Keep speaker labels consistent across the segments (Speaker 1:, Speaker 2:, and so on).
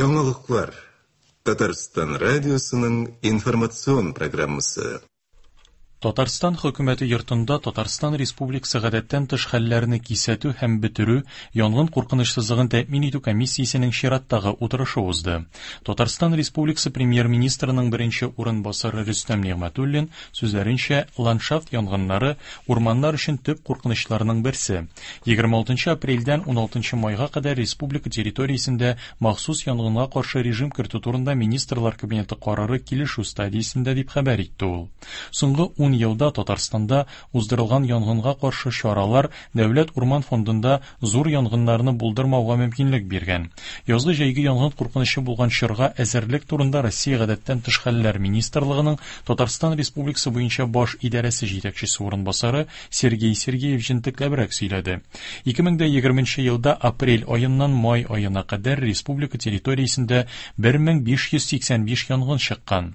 Speaker 1: Яңалыклар. Татарстан радиосының информацион программасы.
Speaker 2: Татарстан Хөкүмәте йортында Татарстан Республикасы гадәттән тыш хәлләрне кисәтү һәм бетерү, янгын куркынычсызлыгын тәэмин итү комиссиясенең чираттагы утырышы узды. Татарстан Республикасы Премьер-министрының беренче урынбасары Рөстәм Нигъмәтуллин сүзләренчә, ландшафт янгыннары урманнар өчен төп куркынычларның берсе. 26 апрельдән 16 майга кадәр республика территориясендә махсус янгынга каршы режим кертү турында Министрлар Кабинеты карары килешү стадиясендә, дип хәбәр итте ул. Соңгы ун елда Татарстанда уздырылган янгынга каршы чаралар Дәүләт урман фондында зур янгыннарны булдырмауга мөмкинлек биргән. Язгы-җәйге янгын куркынычы булган чорга әзерлек турында Россия Гадәттән тыш хәлләр министрлыгының Татарстан Республикасы буенча баш идарәсе җитәкчесе урынбасары Сергей Сергеев җентекләбрәк сөйләде. 2020 елда апрель аеннан май аена кадәр республика территориясендә 1585 янгын чыккан.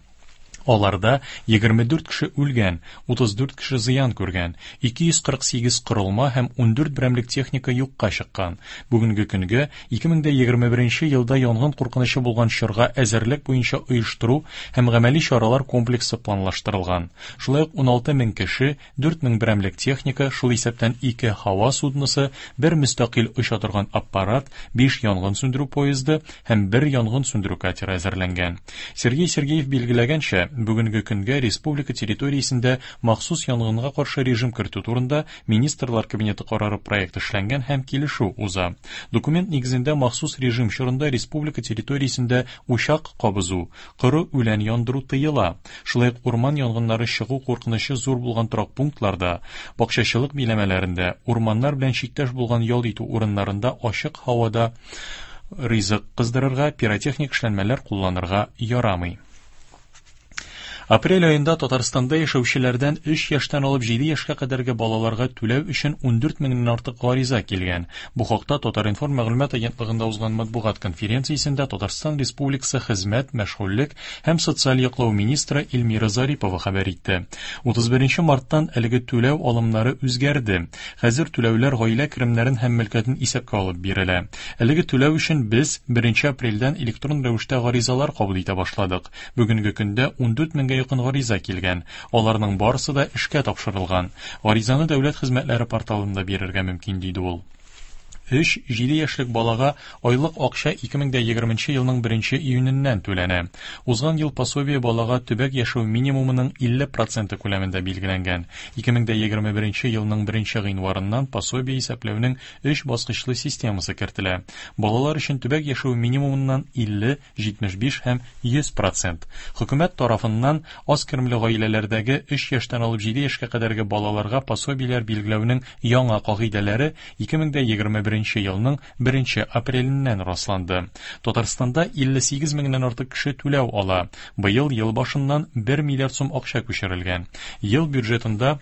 Speaker 2: Аларда 24 кеше үлгән, 34 кеше зыян күргән, 248 корылма һәм 14 берәмлек техника юкка чыккан. Бүгенге көнгә 2021 елда янгын куркынычы булган чорга әзерлек буенча оештыру һәм гамәли чаралар комплексы планлаштырылган. Шулай ук 16 мең кеше, 4000 берәмлек техника, шул исәптән ике һава судносы, бер мөстәкыйль оча торган аппарат, биш янгын сүндерү поезды һәм бер янгын сүндерү катеры әзерләнгән. Сергей Сергеев билгеләгәнчә, бүгенге көнгә республика территориясендә махсус янгынга каршы режим кертү турында Министрлар Кабинеты карары проекты эшләнгән һәм килешү уза. Документ нигезендә махсус режим чорында республика территориясендә учак кабызу, Коры үлән яндыру тыела. Шулай ук урман янгыннары чыгу куркынычы зур булган торак пунктларда, бакчачылык биләмәләрендә, урманнар белән чиктәш булган ял итү урыннарында ачык һавада ризык кыздырырга, пиротехник эшләнмәләр кулланырга ярамый. Апрель аенда Татарстанда яшәүчеләрдән 3 яшьтән алып 7 яшькә кадәрге балаларга түләү өчен 14 меңнән артык гариза килгән. Бу хакта Татар-информ мәгълүмат агентлыгында узган матбугат конференциясендә Татарстан Республикасы Хезмәт, мәшгульлек һәм социаль яклау министры Эльмира Зарипова хәбәр итте. 31 марттан әлеге түләү алымнары үзгәрде. Хәзер түләүләр гаилә керемнәрен һәм мөлкәтен исәпкә алып бирелә. Әлеге түләү өчен без 1 апрельдән электрон рәвештә гаризалар кабул итә башладык. Бүгенге көндә 14 меңгә якын гариза килгән. Аларның барысы да эшкә тапшырылган. Гаризаны дәүләт хезмәтләре порталында бирергә мөмкин, диде ул. 3-7 яшьлек балага айлык акча 2020 елның 1 июненнән түләнә. Узган ел пособие балага төбәк яшәү минимумының 50 проценты күләмендә билгеләнгән. 2021 елның 1 гыйнварыннан пособие исәпләүнең өч баскычлы системасы кертелә. Балалар өчен төбәк яшәү минимумыннан 50 75 һәм 100 процент. Хөкүмәт тарафыннан аз керемле гаиләләрдәге 3 яшьтән алып 7 яшькә кадәрге балаларга пособиеләр билгеләүнең яңа кагыйдәләре 2021 елның 1 апреленнән расланды. Татарстанда 58 меңнән артык кеше түләү ала. Быел ел башыннан 1 миллиард сум акча күчерелгән. Ел бюджетында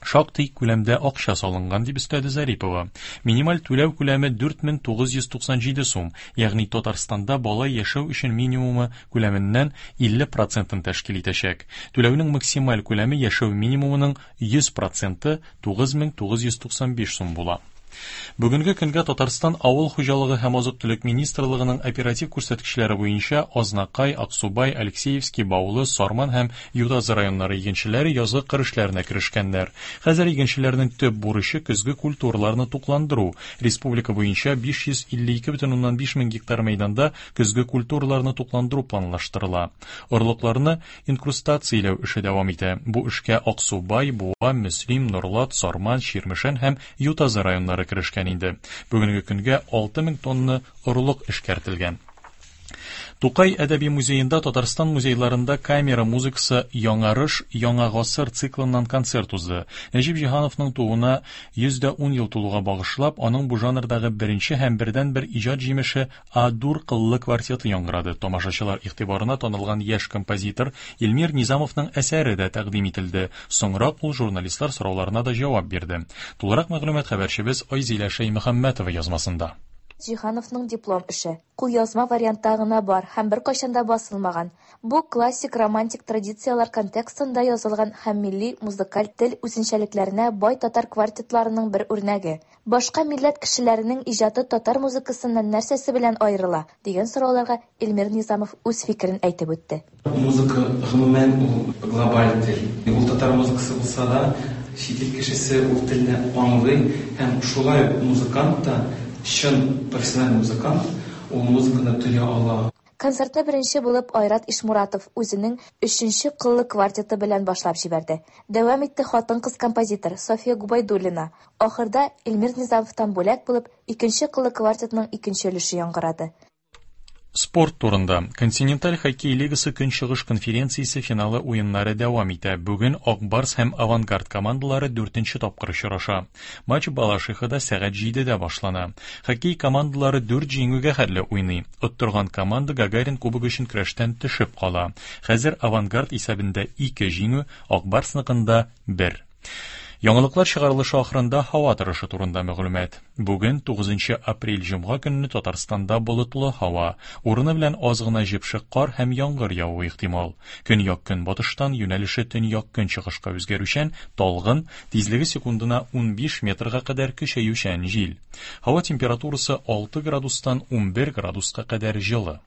Speaker 2: шактый күләмдә акча салынган, дип өстәде Зарипова. Минималь түләү күләме 4997 сум, ягъни Татарстанда бала яшәү өчен минимумы күләменнән 50 процентын тәшкил итәчәк. Түләүнең максималь күләме яшәү минимумының 100 проценты 9995 сум була. Бүгенге көнгә Татарстан Авыл хуҗалыгы һәм азык-төлек министрлыгының оператив күрсәткечләре буенча Азнакай, Аксубай, Алексеевский, Баулы, Сарман һәм Ютазы районнары игенчеләре язгы кыр эшләренә керешкәннәр. Хәзер игенчеләрнең төп бурычы көзге культураларны тукландыру. Республика буенча 552,5 мең гектар мәйданда көзге культураларны тукландыру планлаштырыла. Орлыкларны инкрустацияләү эше дәвам итә. Бу эшкә Аксубай, Буа, Мөслим, Норлат, Сарман, Чирмешән һәм Ютазы районнары керешкән инде. Бүгенге көнгә 6000 тонна орлык эшкәртелгән. Тукай әдәби музеенда Татарстан музейларында камера музыкасы Яңарыш, яңа гасыр циклыннан концерт узды. Нәҗип Җиһановның тууына 110 ел тулуга багышлап, аның бу жанрдагы беренче һәм бердәнбер иҗат җимеше А-дур кыллы квартеты яңгырады. Тамашачылар игътибарына танылган яшь композитор Илмир Низамовның әсәре дә тәкъдим ителде. Соңрак ул журналистлар сорауларына да җавап бирде. Тулырак мәгълүмат хәбәрчебез Айзилә Шәймөхәммәтова язмасында.
Speaker 3: Җиһановның диплом эше. Кулъязма вариантта гына бар һәм беркайчан да басылмаган. Бу классик романтик традицияләр контекстында язылган һәм милли музыкаль тел үзенчәлекләренә бай татар квартетларының бер үрнәге. Башка милләт кешеләренең иҗаты татар музыкасыннан нәрсәсе белән аерыла? дигән сорауларга Эльмир Низамов үз фикерен әйтеп үтте.
Speaker 4: Музыка, гомумән, ул глобаль тел. Ул татар музыкасы булса да, чит ил кешесе ул телне аңлый һәм шулай ук музыкант та, чын профессиональ музыкант, ул музыканы тоя ала.
Speaker 3: Концертны беренче булып Айрат Ишмуратов үзенең өченче кыллы квартеты белән башлап җибәрде. Дәвам итте хатын-кыз композитор Софья Губайдуллина. Ахырда Эльмир Низамовтан бүләк булып икенче кыллы квартетның икенче өлеше яңгырады.
Speaker 2: Спорт турында. Континенталь хоккей лигасы Көнчыгыш конференциясе финалы уеннары дәвам итә. Бүген Ак Барс һәм Авангард командалары дүртенче тапкыр очраша. Матч Балашихада сәгать җидедә башлана. Хоккей командалары дүрт җиңүгә хәтле уйный. Оттырган команда Гагарин кубогы өчен көрәштән төшеп кала. Хәзер Авангард исәбендә ике җиңү, Ак Барсныкында бер. Яңалыклар чыгарылышы ахырында һава торышы турында мәгълүмат. Бүген, 9 апрель җомга көнне Татарстанда болытлы һава, урыны белән аз гына җепшек кар һәм яңгыр явуы ихтимал. Көньяк-көнбатыштан юнәлеше төньяк-көнчыгышка үзгәрүчән, талгын, тизлеге секундына 15 метрга кадәр көчәючән җил. Һава температурасы 6 градустан 11 градуска кадәр җылы.